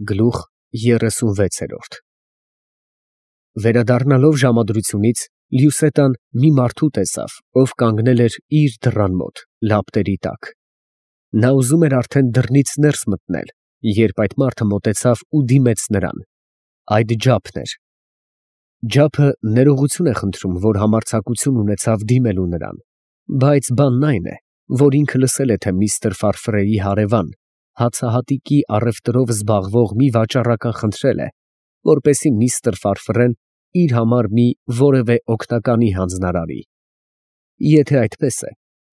Գլուխ 36 Վերադառնալով ժամադրությունից, Լյուսետան մի մարդու տեսավ, ով կանգնել էր իր դռան մոտ, լապտերի տակ. նա ուզում էր արդեն դռնից ներս մտնել, երբ այդ մարդը մոտեցավ ու դիմեց նրան. այդ Ջափն էր։ Ջափը ներողություն է խնդրում, որ համարձակություն ունեցավ դիմելու նրան, բայց բանն այն է, որ ինքը լսել է, թե միստր Ֆարֆրեի հարևան, հացահատիկի առևտրով զբաղվող մի վաճառական խնդրել է, որպեսզի միստր Ֆարֆրեն իր համար մի որևէ օգնականի հանձնարարի։ Եթե այդպես է,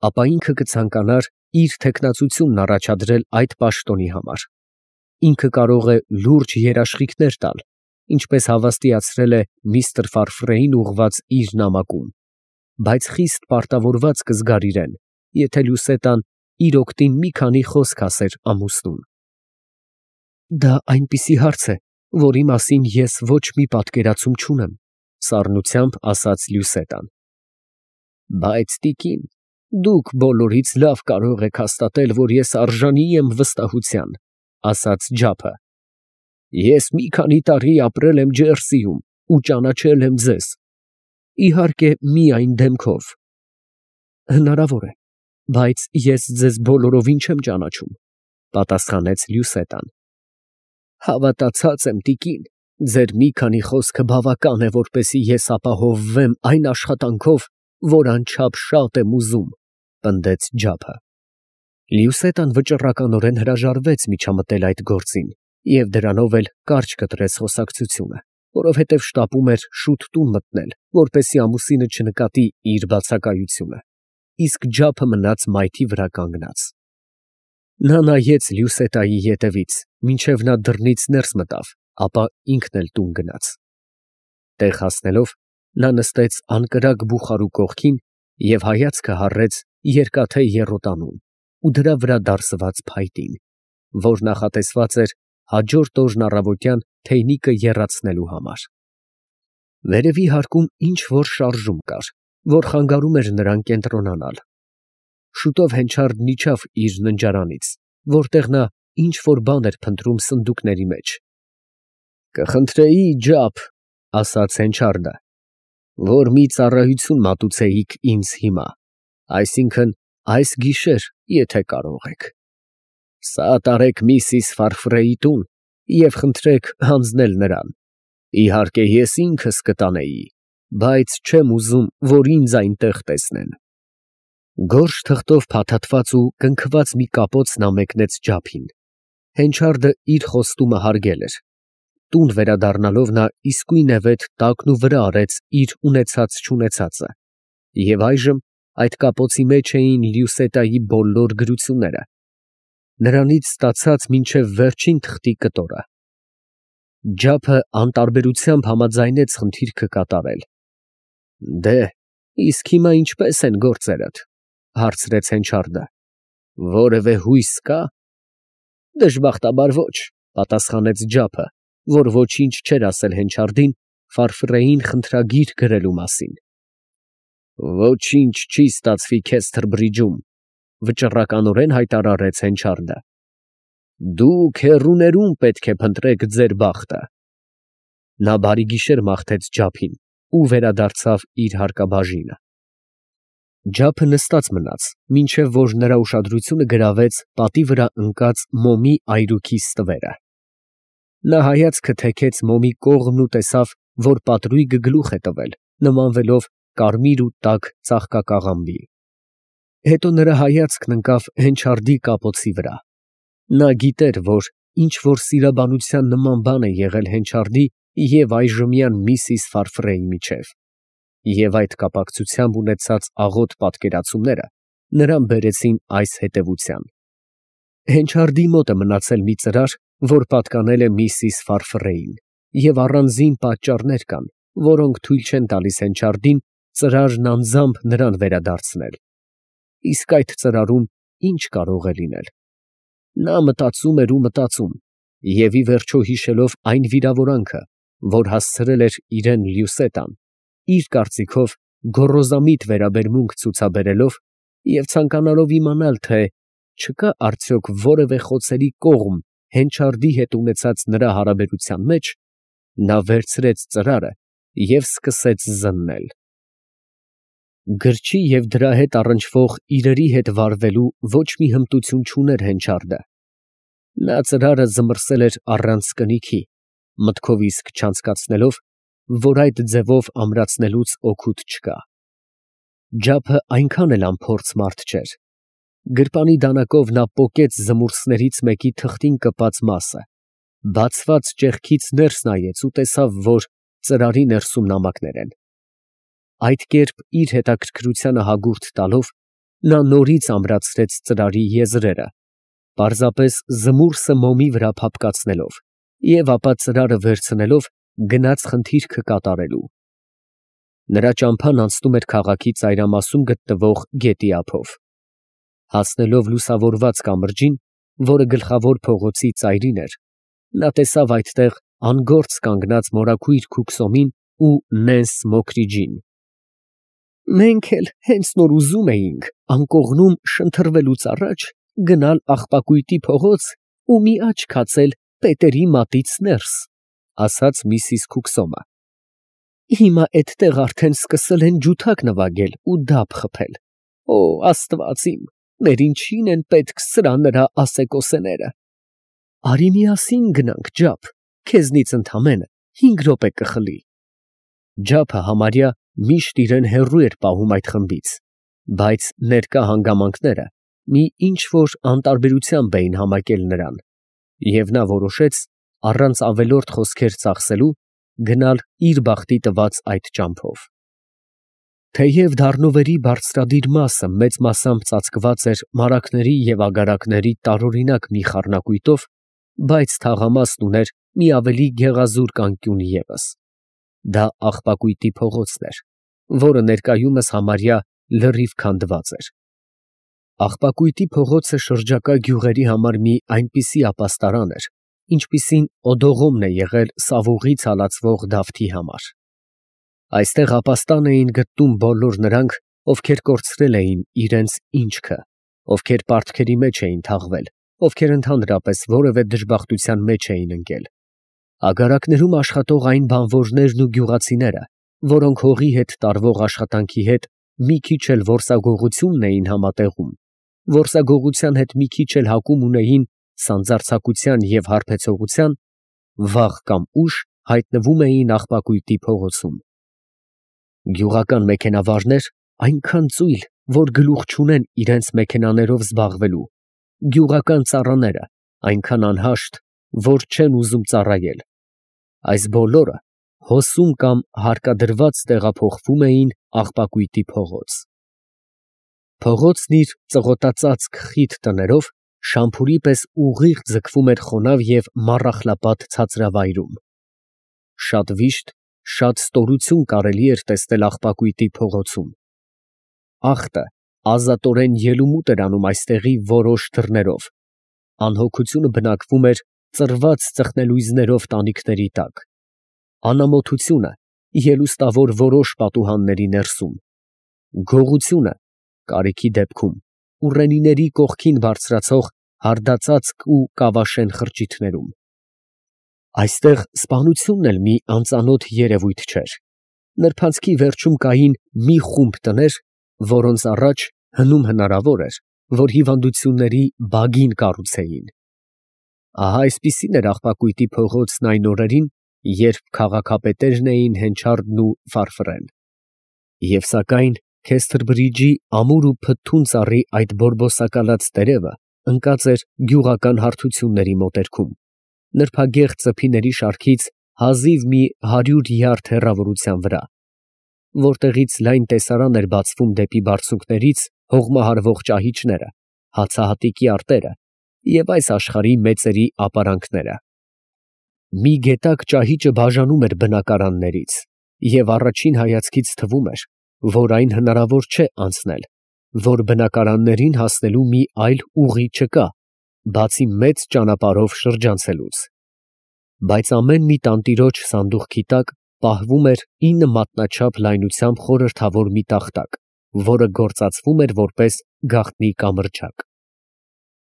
ապա ինքը կցանկանար իր թեկնածությունն առաջադրել այդ պաշտոնի համար։ Ինքը կարող է լուրջ երաշխիքներ տալ, ինչպես հավաստիացրել է միստր Ֆարֆրեին ուղղված իր նամակում, բայց խիստ պարտավորված կզգար իրեն, եթե Լյուսետան իր օգտին մի քանի խոսք ասեր ամուսնուն։ Դա այնպիսի հարց է, որի մասին ես ոչ մի պատկերացում չունեմ, սառնությամբ ասաց Լյուսետան։ Բայց տիկին, դուք բոլորից լավ կարող եք հաստատել, որ ես արժանի եմ վստահության, ասաց Ջափը։ Ես մի քանի տարի ապրել եմ Ջերսիում ու ճանաչել եմ ձեզ, իհարկե միայն դեմքով։ Հնարավոր է, բայց ես ձեզ բոլորովին չեմ ճանաչում, պատասխանեց Լյուսետան։ Հավատացած եմ, տիկին, ձեր մի քանի խոսքը բավական է, որպեսզի ես ապահովվեմ այն աշխատանքով, որ անչափ շատ եմ ուզում, պնդեց Ջափը։ Լյուսետան վճռականորեն հրաժարվեց միջամտել այդ գործին և դրանով էլ կարճ կտրեց խոսակցությունը, որովհետև շտապում էր շուտ տուն մտնել, որպեսզի ամուսինը չնկատի իր բացակայությունը, իսկ Ջափը մնաց մայթի վրա կանգնած։ Նա նայեց Լյուսետայի ետևից, մինչև նա դռնից ներս մտավ, ապա ինքն էլ տուն գնաց։ Տեղ հասնելով, նա նստեց անկրակ բուխարու կողքին և հայացքը հառեց երկաթե եռոտանուն ու դրա վրա դարսված փայտին, որ նախատեսված էր հաջորդ օրն առավոտյան թեյնիկը եռացնելու համար։ Վերևի հարկում ինչ֊որ շարժում կար, որ խանգարում էր նրան կենտրոնանալ։ Շուտով հենչյարն իջավ իր ննջարանից, որտեղ նա ինչ֊որ բան էր փնտրում սնդուկների մեջ։ Կխնդրեի, Ջափ, ասաց հենչյարը, որ մի ծառայություն մատուցեիք ինձ հիմա, այսինքն այս գիշեր, եթե կարող եք։ Սա տարեք միսիս Ֆարֆրեի տուն և խնդրեք հանձնել նրան։ Իհարկե ես ինքս կտանեի, բայց չեմ ուզում, որ ինձ այնտեղ տեսնեն։ Գորշ թղթով փաթաթված ու կնքված մի կապոց նա մեկնեց Ջափին։ Հենչյարը իր խոստումը հարգել էր։ Տուն վերադառնալով նա իսկույնևեթ տակն ու վրա արեց իր ունեցած֊չունեցածը, և այժմ այդ կապոցի մեջ էին Լյուսետայի բոլոր գրությունները, նրանից ստացած մինչև վերջին թղթի կտորը։ Ջափը անտարբերությամբ համաձայնեց խնդիրքը կատարել։ Դե, իսկ հիմա ինչպե՞ս են գործերդ, հարցրեց հենչյարը։ Որևէ հույս կա։ Դժբախտաբար ոչ, պատասխանեց Ջափը, որ ոչինչ չէր ասել հենչյարին Ֆարֆրեին խնդրագիր գրելու մասին։ Ոչինչ չի ստացվի քեզ Թրբրիջում, վճռականորեն հայտարարեց հենչյարը։ Դուք հեռուներում պետք է փնտրեք ձեր բախտը։ Նա բարի գիշեր մաղթեց Ջափին ու վերադարձավ իր հարկաբաժինը։ Ջափը նստած մնաց, մինչև որ նրա ուշադրությունը գրավեց պատի վրա ընկած մոմի այրուքի ստվերը։ Նա հայացքը թեքեց մոմի կողմն ու տեսավ, որ պատրույգը գլուխ է տվել, նմանվելով կարմիր ու տաք ծաղկակաղամբի։ Հետո նրա հայացքն ընկավ հենչյարի կապոցի վրա։ Նա գիտեր, որ ինչ֊որ սիրաբանության նման բան է եղել հենչյարի և այժմյան միսիս Ֆարֆրեի միջև, և այդ կապակցությամբ ունեցած աղոտ պատկերացումները նրան բերեցին այս հետևության. հենչյարի մոտ է մնացել մի ծրար, որ պատկանել է միսիս Ֆարֆրեին, և առանձին պատճառներ կան, որոնք թույլ չեն տալիս հենչյարին ծրարն անձամբ նրան վերադարձնել։ Իսկ այդ ծրարում ի՞նչ կարող է լինել։ Նա մտածում էր ու մտածում, և ի վերջո հիշելով այն վիրավորանքը, որ հասցրել էր իրեն Լյուսետան, իր կարծիքով գոռոզամիտ վերաբերմունք ցուցաբերելով և ցանկանալով իմանալ, թե չկա արդյոք որևէ խոցելի կողմ հենչարդի հետ ունեցած նրա հարաբերության մեջ, նա վերցրեց ծրարը և սկսեց զննել։ Գրչի և դրա հետ առնչվող իրերի հետ վարվելու ոչ մի հմտություն չուներ հենչարդը։ Նա ծրարը զմռսել էր առանց կնիքի, մտքով իսկ չանցկացնելով, որ այդ ձևով ամրացնելուց օգուտ չկա։ Ջափը այնքան էլ անփորձ մարդ չէր։ Գրպանի դանակով նա պոկեց զմուրսներից մեկի թղթին կպած մասը, բացված ճեղքից ներս նայեց ու տեսավ, որ ծրարի ներսում նամակներ են։ Այդ կերպ իր հետաքրքրությանը հագուրդ տալով, նա նորից ամրացրեց ծրարի եզրերը, պարզապես զմուրսը մոմի վրա փափկացնելով, և ապա ծրարը վերցնելով գնաց խնդիրքը կատարելու։ Նրա ճամփան անցնում էր քաղաքի ծայրամասում գտնվող գետի ափով։ Հասնելով լուսավորված կամրջին, որը գլխավոր փողոցի ծայրին էր, նա տեսավ այդտեղ անգործ կանգնած մորաքույր Քուքսոմին ու Նենս Մոքրիջին։ «Մենք էլ հենց նոր ուզում էինք անկողնում շնթռվելուց առաջ գնալ աղբակույտի փողոց ու մի աչք հացել պետերի մատից ներս», ֊ ասաց միսիս Քուքսոմը։ «Հիմա էդտեղ արդեն սկսել են ջութակ նվագել ու դափ խփել։ Օ, Աստված իմ, մեր ինչին են պետք սրա֊նրա ասեկոսեները։ Արի միասին գնանք, Ջափ, քեզնից ընդամենը 5 րոպե կխլի»։ Ջափը համարյա միշտ իրեն հեռու էր պահում այդ խմբից, բայց ներկա հանգամանքները մի ինչ֊որ անտարբերությամբ էին համակել նրան, և նա որոշեց, առանց ավելորդ խոսքեր ծախսելու, գնալ իր բախտի տված այդ ճամփով։ Թեև դառնովերի բարձրադիր մասը մեծ մասամբ ծածկված էր մարագների և ագարակների տարօրինակ մի խառնակույտով, բայց թաղամասն ուներ մի ավելի գեղազուրկ անկյուն ևս։ Դա աղբակույտի փողոցն էր, որը ներկայումս համարյա լրիվ քանդված էր։ Աղբակույտի փողոցը շրջակա գյուղերի համար մի այնպիսի ապաստարան էր, ինչպիսին Օդողոմն է եղել Սավուղից հալածվող Դավթի համար։ Այստեղ ապաստան էին գտնում բոլոր նրանք, ովքեր կորցրել էին իրենց ինչքը, ովքեր պարտքերի մեջ էին թաղվել, ովքեր ընդհանրապես որևէ դժբախտության մեջ էին ընկել։ Ագարակներում աշխատող այն բանվորներն ու գյուղացիները, որոնք հողի հետ տարվող աշխատանքի հետ մի քիչ էլ որսագողությունն էին համատեղում, որսագողության հետ մի քիչ էլ հակում ունեին սանձարձակության և հարբեցողության, վաղ կամ ուշ հայտնվում էին աղբակույտի փողոցում։ Գյուղական մեքենավարներ այնքան ծույլ, որ գլուխ չունեն իրենց մեքենաներով զբաղվելու, գյուղական ծառաները այնքան անհաշտ, որ չեն ուզում ծառայել, այս բոլորը հոսում կամ հարկադրված տեղափոխվում էին աղբակույտի փողոց։ Փողոցն իր ծղոտածածկ խիտ տներով շամփուրի պես ուղիղ ձգվում էր խոնավ և մառախլապատ ցածրավայրում։ Շատ վիշտ, շատ ստորություն կարելի էր տեսնել աղբակույտի փողոցում։ Աղտը ազատորեն ելումուտ էր անում այստեղի որոշ դռներով, անհոգությունը բնակվում էր ծռված ծխնելույզներով տանիքների տակ, անամոթությունը ելուստավոր որոշ պատուհանների ներսում, գողությունը կարիքի դեպքում ուռենիների կողքին բարձրացող հարդածածկ ու կավաշեն խրճիթներում։ Այստեղ սպանությունն էլ մի անծանոթ երևույթ չէր։ Նրբանցքի վերջում կային մի խումբ տներ, որոնց առաջ հնում հնարավոր էր, որ հիվանդությունների բագին կառուցեին։ Ահա այսպիսին էր աղբակույտի փողոցն այն օրերին, երբ քաղաքապետերն էին Հենչարդն ու Ֆարֆրեն։ Եվ սակայն Քեսթրբրիջի ամուր ու փթթուն ծառի այդ բորբոսակալած տերևը ընկած էր գյուղական հարթությունների մոտերքում, նրբագեղ ծփիների շարքից հազիվ մի 100 յարդ հեռավորության վրա, որտեղից լայն տեսարան էր բացվում դեպի բարձունքներից հողմահարվող ճահիճները, հացահատիկի արտերը և այս աշխարհի մեծերի ապարանքները։ Մի գետակ ճահիճը բաժանում էր բնակարաններից, և առաջին հայացքից թվում էր, որ այն հնարավոր չէ անցնել, որ բնակարաններին հասնելու մի այլ ուղի չկա, բացի մեծ ճանապարհով շրջանցելուց։ Բայց ամեն մի տանտիրոջ սանդուղքի տակ պահվում էր 9 մատնաչափ լայնությամբ խորհրդավոր մի տախտակ, որը գործածվում էր որպես գաղտնի կամրջակ։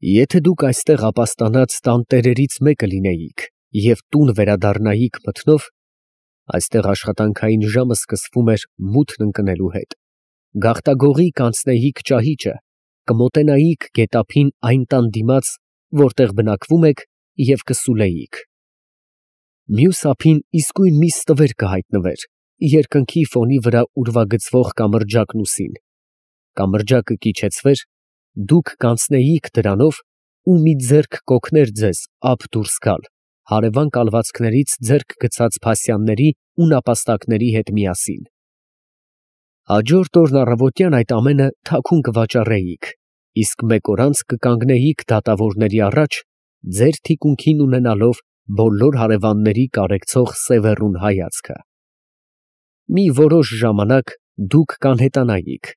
Եթե դուք այստեղ ապաստանած տանտերերից մեկը լինեիք և տուն վերադառնայիք մթնով, այստեղ աշխատանքային ժամը սկսվում էր մութն ընկնելու հետ, գաղտագողի կանցնեիք ճահիճը, կմոտենայիք գետափին այն տան դիմաց, որտեղ բնակվում եք, և կսուլեիք։ Մյուս ափին իսկույն մի ստվեր կհայտնվեր, երկնքի ֆոնի վրա ուրվագծվող կամրջակն ուսին։ Կամրջակը կիջեցվեր, դուք կանցնեիք դրանով ու մի ձեռք կօգներ ձեզ ափ դուրս գալ, հարևան կալվածքներից ձեռք գցած փասյանների ու նապաստակների հետ միասին։ Հաջորդ օրն առավոտյան այդ ամենը թաքուն կվաճառեիք, իսկ մեկ օր անց կկանգնեիք դատավորների առաջ, ձեր թիկունքին ունենալով բոլոր հարևանների կարեկցող սևեռուն հայացքը։ Մի որոշ ժամանակ դուք կանհետանայիք,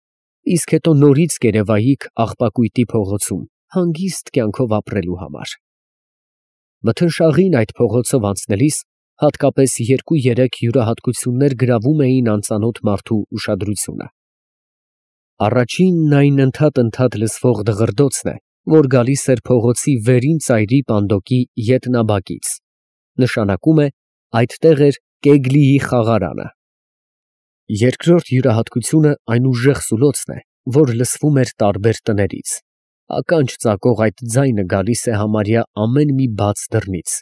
իսկ հետո նորից կերևայիք աղբակույտի փողոցում, հանգիստ կյանքով ապրելու համար։ Մթնշաղին այդ փողոցով անցնելիս հատկապես 2-3 յուրահատկություններ գրավում էին անծանոթ մարդու ուշադրությունը։ Առաջինն այն ընդհատ լսվող դղրդոցն է, որ գալիս էր փողոցի վերին ծայրի պանդոկի ետնաբակից, նշանակում է այդտեղ էր Կեգլիի խաղարանը։ Երկրորդ յուրահատկությունը այն ուժեղ սուլոցն է, որ լսվում էր տարբեր տներից, ականջ ծակող այդ ձայնը գալիս է համարյա ամեն մի բաց դռնից։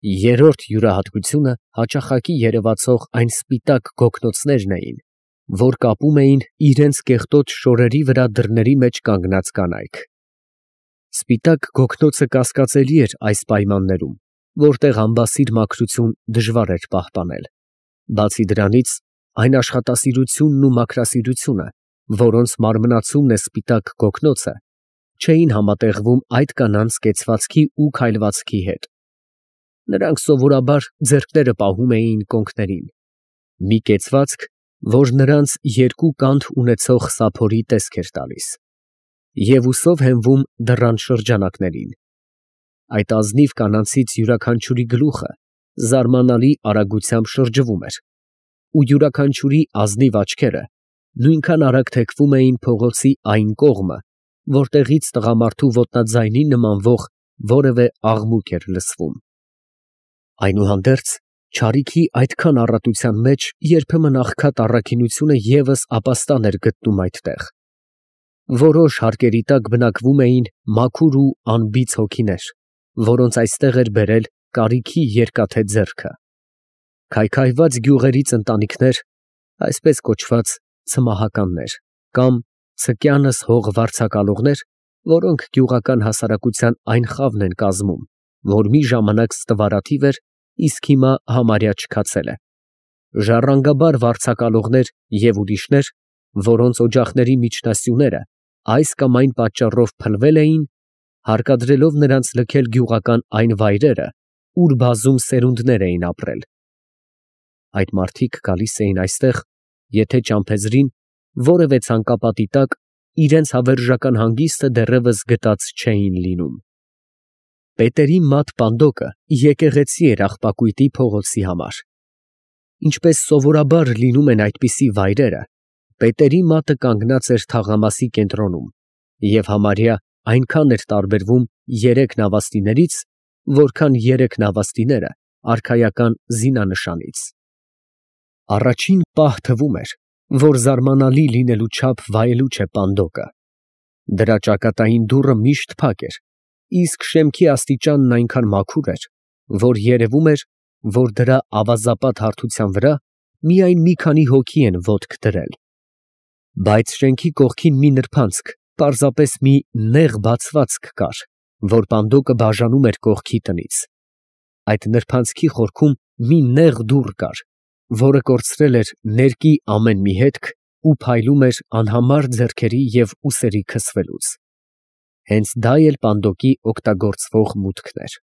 Երրորդ յուրահատկությունը հաճախակի երևացող այն սպիտակ գոգնոցներն էին, որ կապում էին իրենց կեղտոտ շորերի վրա դռների մեջ կանգնած կանայք։ Սպիտակ գոգնոցը կասկածելի էր այս պայմաններում, որտեղ ամբասիր մաքրություն դժվար էր պահպանել։ Բացի դրանից, այն աշխատասիրությունն ու մաքրասիրությունը, որոնց մարմնացումն է սպիտակ գոգնոցը, չէին համատեղվում այդ կանանց կեցվածքի ու քայլվածքի հետ։ Նրանք սովորաբար ձեռքները պահում էին կոնքներին, մի կեցվածք, որ նրանց երկու կանթ ունեցող սափորի տեսք էր տալիս, և ուսով հենվում դռան շրջանակներին։ Այդ ազնիվ կանանցից յուրաքանչյուրի գլուխը զարմանալի արագությամբ շրջվում էր, ու յուրաքանչյուրի ազնիվ աչքերը նույնքան արագ թեքվում էին փողոցի այն կողմը, որտեղից տղամարդու ոտնաձայնի նմանվող որևէ աղմուկ էր լսվում։ Այնուհանդերձ, չարիքի այդքան առատության մեջ երբեմն աղքատ առաքինությունը ևս ապաստան էր գտնում այդտեղ։ Որոշ հարկերի տակ բնակվում էին մաքուր ու անբիծ հոգիներ, որոնց այստեղ էր բերել կարիքի երկաթե ձեռքը։ Քայքայված գյուղերից ընտանիքներ, այսպես կոչված ցմահականներ, կամ ցկյանս հող վարձակալողներ, որոնք գյուղական հասարակության այն խավն են կազմում, որ մի ժամանակ ստվարաթիվ էր, իսկ հիմա համարյա չքացել է։ Ժառանգաբար վարձակալողներ և ուրիշներ, որոնց օջախների միջնասյուները այս կամ այն պատճառով փլվել էին, հարկադրելով նրանց լքել գյուղական այն վայրերը, ուր բազում սերունդներ էին ապրել։ Այդ մարդիկ գալիս էին այստեղ, եթե ճամփեզրին, որևէ ցանկապատի տակ, իրենց հավերժական հանգիստը դեռևս գտած չէին լինում։ Պետերի մատ պանդոկը եկեղեցի էր աղբակույտի փողոցի համար։ Ինչպես սովորաբար լինում են այդպիսի վայրերը, պետերի մատը կանգնած էր թաղամասի կենտրոնում և համարյա այնքան էր տարբերվում երեք նավաստիներից, որքան երեք նավաստիները արքայական զինանշանից։ Առաջին պահ թվում էր, որ զարմանալի լինելու չափ վայելուչ է պանդոկը։ Դրա ճակատային դուռը միշտ փակ էր, իսկ շեմքի աստիճանն այնքան մաքուր էր, որ երևում էր, որ դրա ավազապատ հարթության վրա միայն մի քանի հոգի են ոտք դրել։ Բայց շենքի կողքին մի նրբանցք, պարզապես մի նեղ բացվածք կար, որ պանդոկը բաժանում էր կողքի տնից։ Այդ նրբանցքի խորքում մի նեղ դուռ կար, որը կորցրել էր ներկի ամեն մի հետք ու փայլում էր անհամար ձեռքերի և ուսերի քսվելուց։ Հենց դա էլ պանդոկի օգտագործվող մուտքն էր։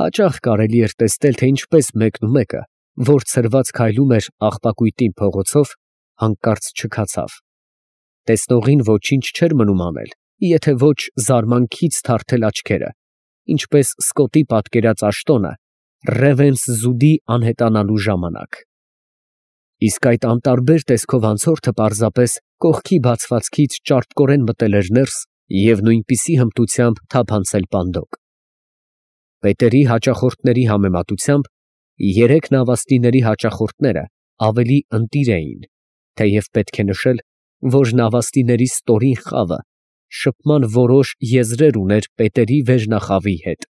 Հաճախ կարելի էր տեսնել, թե ինչպես մեկը, որ ցրված քայլում էր աղբակույտի փողոցով, հանկարծ չքացավ։ Տեսնողին ոչինչ չէր մնում անել, եթե ոչ զարմանքից թարթել աչքերը, ինչպես Սկոտի պատկերած աշտոնը Ռևենսզուդի անհետանալու ժամանակ։ Իսկ այդ անտարբեր տեսքով անցորդը պարզապես կողքի բացվածքից ճարպկորեն մտել էր ներս և նույնպիսի հմտությամբ թափանցել պանդոկ։ Պետերի հաճախորդների համեմատությամբ երեք նավաստիների հաճախորդները ավելի ընտիր էին, թեև պետք է նշել, որ նավաստիների ստորին խավը շփման որոշ եզրեր ուներ պետերի վերնախավի հետ։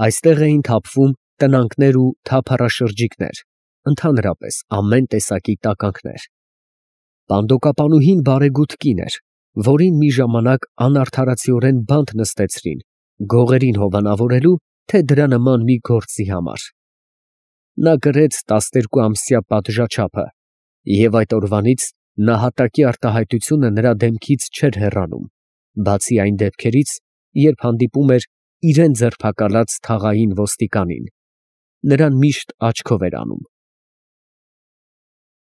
Այստեղ էին թափվում տնանքներ ու թափառաշրջիկներ, ընդհանրապես ամեն տեսակի տականքներ։ Պանդոկապանուհին բարեգութ կին էր, որին մի ժամանակ անարդարացիորեն բանտ նստեցրին գողերին հովանավորելու, թե դրա նման մի գործի համար։ Նա կրեց 12-ամսյա պատժաչափը, և այդ օրվանից նահատակի արտահայտությունը նրա դեմքից չէր հեռանում, բացի այն դեպքերից, երբ հանդիպում էր իրան ձերբակալած թաղային ոստիկանին, նրան միշտ աչքով էր անում։